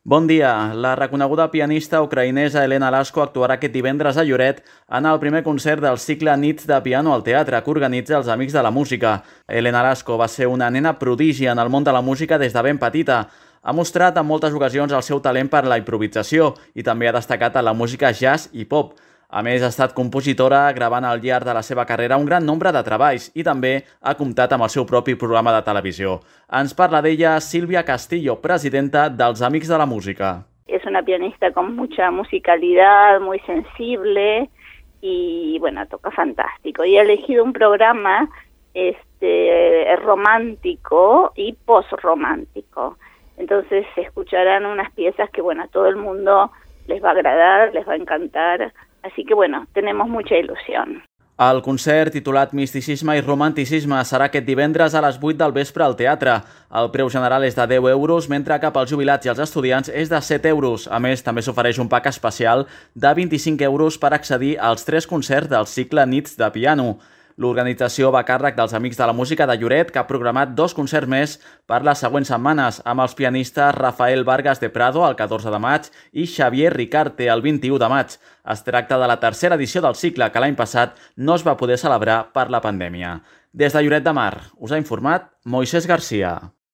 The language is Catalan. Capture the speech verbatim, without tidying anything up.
Bon dia. La reconeguda pianista ucraïnesa Elena Lasko actuarà aquest divendres a Lloret en el primer concert del cicle Nits de piano al teatre que organitza els Amics de la Música. Elena Lasko va ser una nena prodigi en el món de la música des de ben petita. Ha mostrat en moltes ocasions el seu talent per la improvisació i també ha destacat en la música jazz i pop. A més, ha estat compositora, gravant al llarg de la seva carrera un gran nombre de treballs i també ha comptat amb el seu propi programa de televisió. Ens parla d'ella Silvia Castillo, presidenta dels Amics de la Música. Es una pianista con mucha musicalidad, muy sensible y bueno, toca fantástico. Y ha elegido un programa este, romántico y post-romántico. Entonces se escucharán unas piezas que bueno, a todo el mundo les va a agradar, les va a encantar. Así que, bueno, tenemos mucha il·lusió. El concert, titulat Misticisme i Romanticisme, serà aquest divendres a les vuit del vespre al teatre. El preu general és de deu euros, mentre que pels jubilats i els estudiants és de set euros. A més, també s'ofereix un pack especial de vint-i-cinc euros per accedir als tres concerts del cicle Nits de piano. L'organització va a càrrec dels Amics de la Música de Lloret, que ha programat dos concerts més per les següents setmanes, amb els pianistes Rafael Vargas de Prado el catorze de maig i Xavier Ricarte el vint-i-u de maig. Es tracta de la tercera edició del cicle, que l'any passat no es va poder celebrar per la pandèmia. Des de Lloret de Mar, us ha informat Moisés Garcia.